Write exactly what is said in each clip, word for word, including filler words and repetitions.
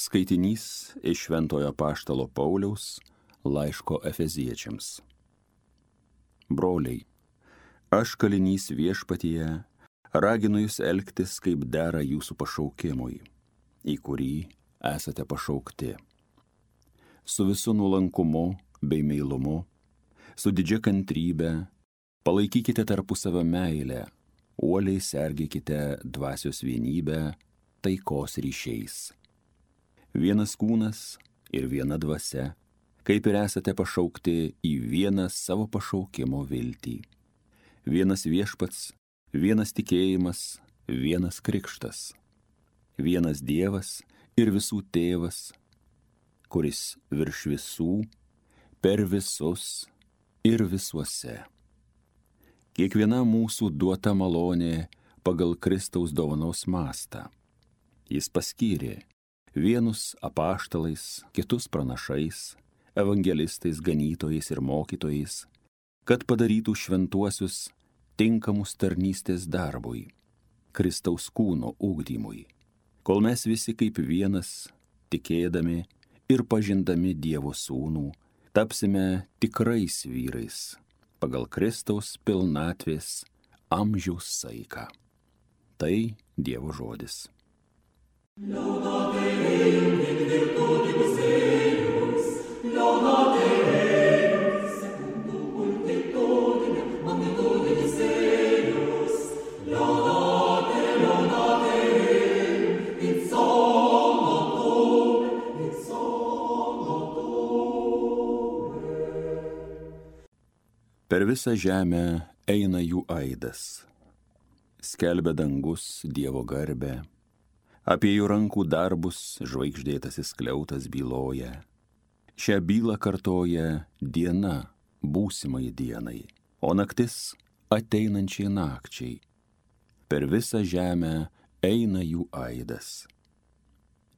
Skaitinys iš Šventojo apaštalo Pauliaus laiško Efeziečiams. Broliai, aš kalinys viešpatyje, raginu jūs elgtis kaip dera jūsų pašaukimui, į kurį esate pašaukti. Su visu nuolankumu bei meilumu, su didžia kantrybe, palaikykite tarpusavio meilę, uoliai sergėkite dvasios vienybę taikos ryšiais. Vienas kūnas ir viena dvasia, kaip ir esate pašaukti į vieną savo pašaukimo viltį. Vienas viešpats, vienas tikėjimas, vienas krikštas. Vienas Dievas ir visų tėvas, kuris virš visų, per visus ir visuose. Kiekviena mūsų duota malonė pagal Kristaus dovanos mastą. Jis paskyrė vienus apaštalais, kitus pranašais, evangelistais, ganytojais ir mokytojais, kad padarytų šventuosius tinkamus tarnystės darbui, Kristaus kūno ugdymui, kol mes visi kaip vienas, tikėdami ir pažindami Dievo sūnų, tapsime tikrais vyrais, pagal Kristaus pilnatvės amžiaus saiką. Tai Dievo žodis. Laudate Deum in virtutibus eius, laudate Deum secundum multitudinem magnitudis eius, laudate, laudate Deum in somno tuum, in somno tuum. Per visą žemę eina jų aidas, skelbia dangus Dievo garbę. Apie jų rankų darbus žvaigždėtasis skliautas byloja. Šią bylą kartoja diena būsimai dienai, o naktis ateinančiai nakčiai. Per visą žemę eina jų aidas.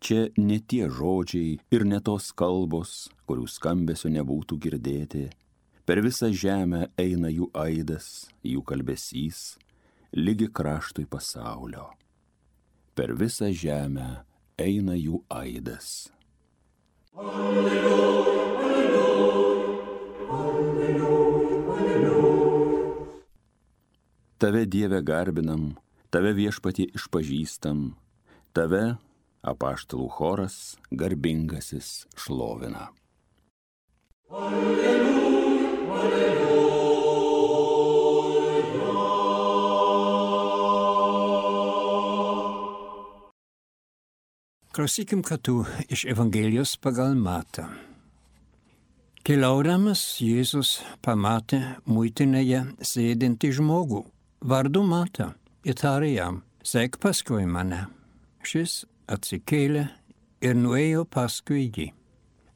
Čia ne tie žodžiai ir ne tos kalbos, kurių skambesio nebūtų girdėti. Per visą žemę eina jų aidas, jų kalbesys, lygi kraštui pasaulio. Per visą žemę eina jų aidas. Alleluja, alleluja, alleluja, alleluja. Tave, Dieve, garbinam, tave viešpatie išpažįstam, tave, apaštalų choras, garbingasis šlovina. Alleluja, alleluja. Klausykim kartu iš Evangelijos pagal Matą. Keliaudamas Jėzus pamatė muitinėje sėdintį žmogų, vardu Matą, ir tarė jam, sek paskui mane. Šis atsikėlė ir nuėjo paskui jį.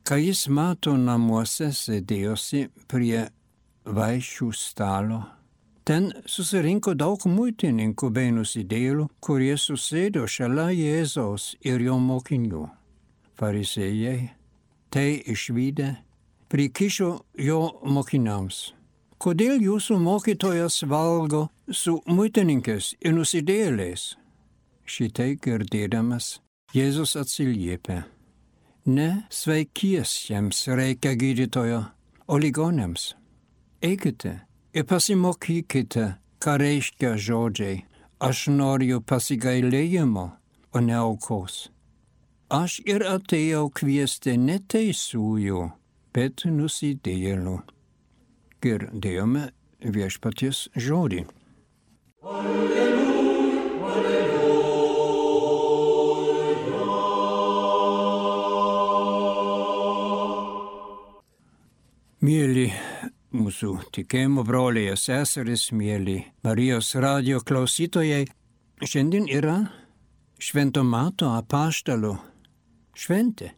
Kai jis Mato namuose sėdėjosi prie vaišių stalo, ten susirinko daug muitininkų bei nusidėjėlių, kurie susėdo šalia Jėzaus ir jo mokinių. Farizėjai, tai išvydę, prikišo jo mokiniams. Kodėl jūsų mokytojas valgo su muitininkais ir nusidėjėliais? Šitai girdėdamas, Jėzus atsiliepė. Ne sveikiesiems reikia gydytojo, o ligoniams. Eikite ir pasimokykite, ką reiškia žodžiai. Aš noriu pasigailėjimo, o ne aukos. Aš ir atėjau kviesti ne teisiųjų, bet nusidėjėlių. Girdėjome viešpaties žodį. Alleluja, alleluja. Mieli mūsų tikėjimo broliai ir seserys, mieli Marijos radijo klausytojai, šiandien yra Švento Mato apaštalo šventė.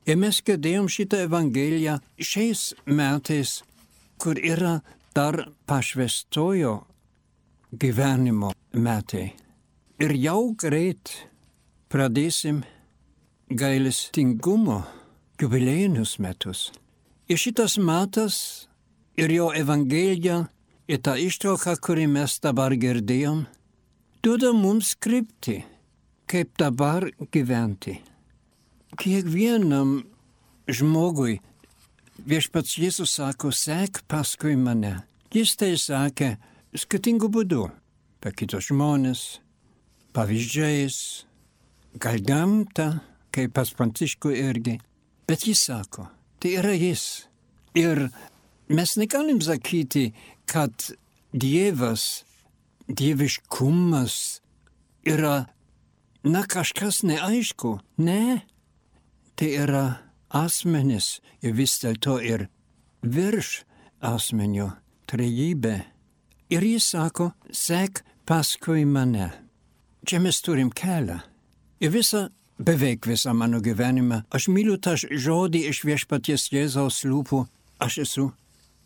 Ir mes girdėjom šitą evangeliją šiais metais, kur yra dar pašvęstojo gyvenimo metai. Ir jau greit pradėsim gailestingumo jubiliejinius metus. Ir šitas metas ir jo evangelija, ir ta ištrauka, kurį mes dabar girdėjom, duoda mums kryptį, kaip dabar gyventi. kiekvienam žmogui viešpats Jėzus sako, sek paskui mane. Jis tai sakė skirtingų būdų, per kitus žmonės, pavyzdžiais, gal gamtą, kaip pas Pranciškų irgi. Bet jis sako, tai yra jis. Ir mes negalim sakyti, kad Dievas, dieviškumas yra, na, kažkas neaišku. Ne, tai yra asmenis ir vis dėlto ir virš asmenio trejybė. Ir jis sako, sek paskui mane. Čia mes turim kelią. Ir visą, beveik visą mano gyvenimą, aš myliu tą žodį iš viešpaties Jėzaus lūpų, aš esu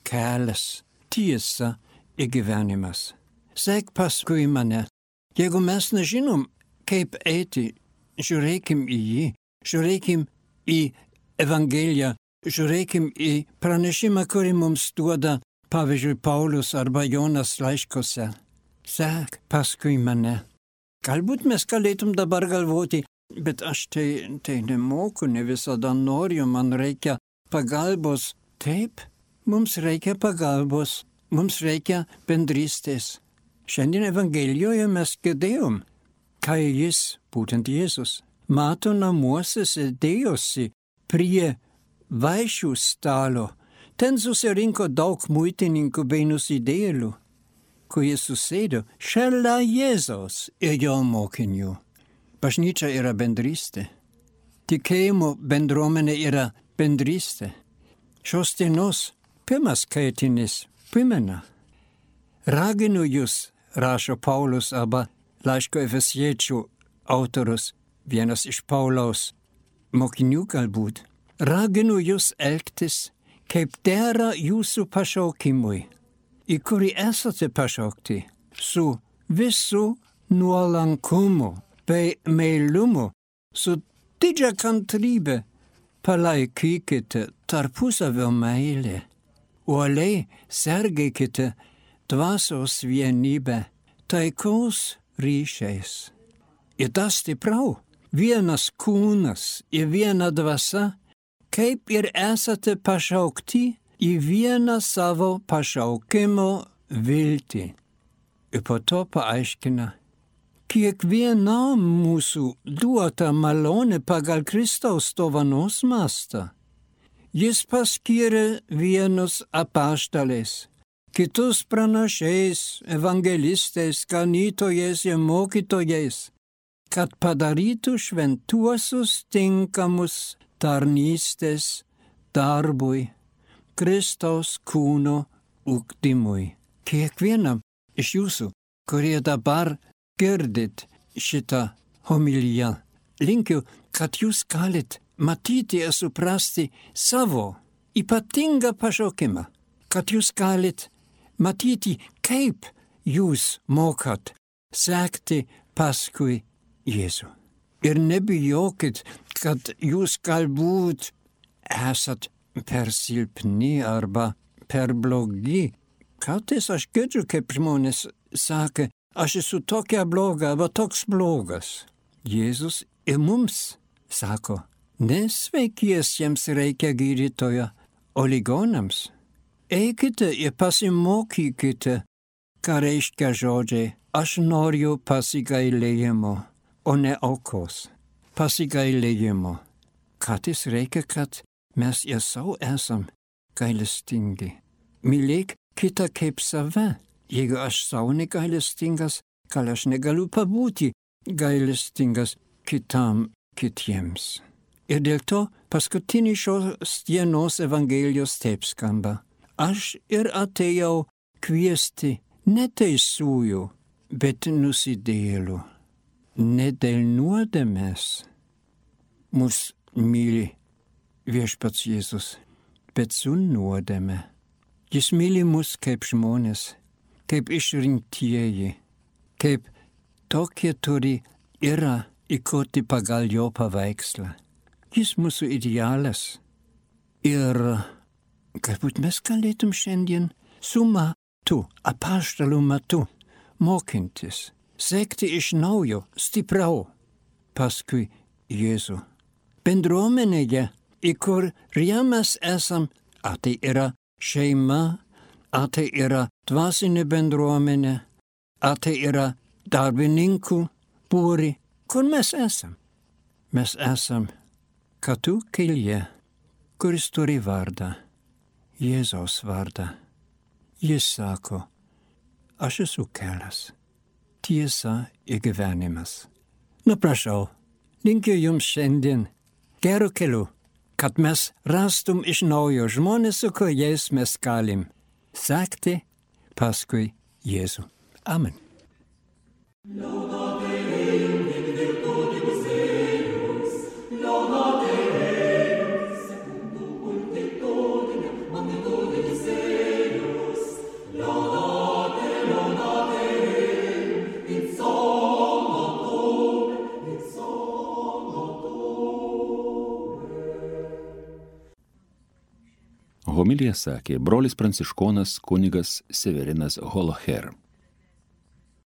kelias, tiesa ir gyvenimas. Sek paskui mane. Jeigu mes nežinom, kaip eiti, žiūrėkim į jį, žiūrėkim į Evangeliją, žiūrėkim į pranešimą, kurį mums duoda, pavyzdžiui, Paulius arba Jonas laiškose. Sek paskui mane. Galbūt mes galėtum dabar galvoti, bet aš tai, tai nemoku, ne visada noriu, man reikia pagalbos. Taip, mums reikia pagalbos, mums reikia bendrystės. Šiandien Evangelijoje mes girdėjom, kai jis, būtent Jėzus, mato namuose sėdėjosi prie vaišių stalo. Ten susirinko daug muitininkų bei nusidėjėlių, kurie susėdo šalia Jėzaus ir jo mokinių. Bažnyčia yra bendrystė. Tikėjimo bendruomenė yra bendrystė. Šios dienos pirmas skaitinis primena. Raginu jūs, rašo Paulius arba laiško Efesiečių autorius, vienas iš Pauliaus mokinių galbūt. Raginu jūs elgtis, kaip dera jūsų pašaukimui, į kurį esate pašaukti, su visų nuolankumu bei meilumu, su didžia kantrybė, palaikykite tarpusavio meilę, uoliai sergėkite dvasios vienybę, taikos ryšiais. Ir tas stipriau, vienas kūnas ir viena dvasia, kaip ir esate pašaukti į vieną savo pašaukimo viltį. Ir po to paaiškina, kiekvienam mūsų duota malonė pagal Kristaus dovanos mastą. Jis paskyrė vienus apaštalais, kitus pranašais, evangelistais, ganytojais ir mokytojais, kad padarytų šventuosius tinkamus tarnystės darbui, Kristaus kūno ugdymui. Kiekvienam iš jūsų, kurie dabar girdit šitą homiliją, linkiu, kad jūs galit matyti ir suprasti savo ypatingą pašaukimą, kad jūs galit matyti, kaip jūs mokat sekti paskui Jėzų. Ir nebijokit, kad jūs galbūt esat per silpni arba per blogi. Kartais aš girdžiu, kaip žmonės sako, aš esu tokia bloga arba toks blogas. Jėzus ir mums sako, nesveikiesiems reikia gydytojo, o ligonams. Eikite ir pasimokykite, ką reiškia žodžiai, aš noriu pasigailėjimo, o ne aukos. Pasigailėjimo. Kartais reikia, kad mes ir sau esam gailestingi. Mylėk kitą kaip save. Jeigu aš sau negailestingas, gal aš negaliu pabūti gailestingas kitam kitiems. Ir dėl to paskutinį šios dienos Evangelijos taip skamba. Aš ir atėjau kviesti ne teisiųjų, bet nusidėjėlių. Ne dėl nuodėmės mus myli viešpats Jėzus, bet su nuodėme. Jis myli mus kaip žmonės, kaip išrinktieji, kaip tokie turi yra įkurti pagal jo paveikslą. Jis mūsų idealas. Ir galbūt mes galėtum šiandien su matu, apaštalų matu, mokintis, sekti iš naujo, stipriau, paskui Jėzų. bendruomenėje, į kurią mes esam, ar tai yra šeima, ar tai yra dvasinė bendruomenė, ar tai yra darbininkų būri, kur mes esam. Mes esam kartu kelyje, kuris turi vardą, Jėzaus vardą. Jis sako, aš esu kelias, tiesa ir gyvenimas. Na prašau, linkiu jums šiandien gerų kelių, kad mes rastum iš naujo žmonės, su kuriais mes galim sekti paskui Jėzų. Amen. Homiliją sakė brolis pranciškonas kunigas Severinas Holoher.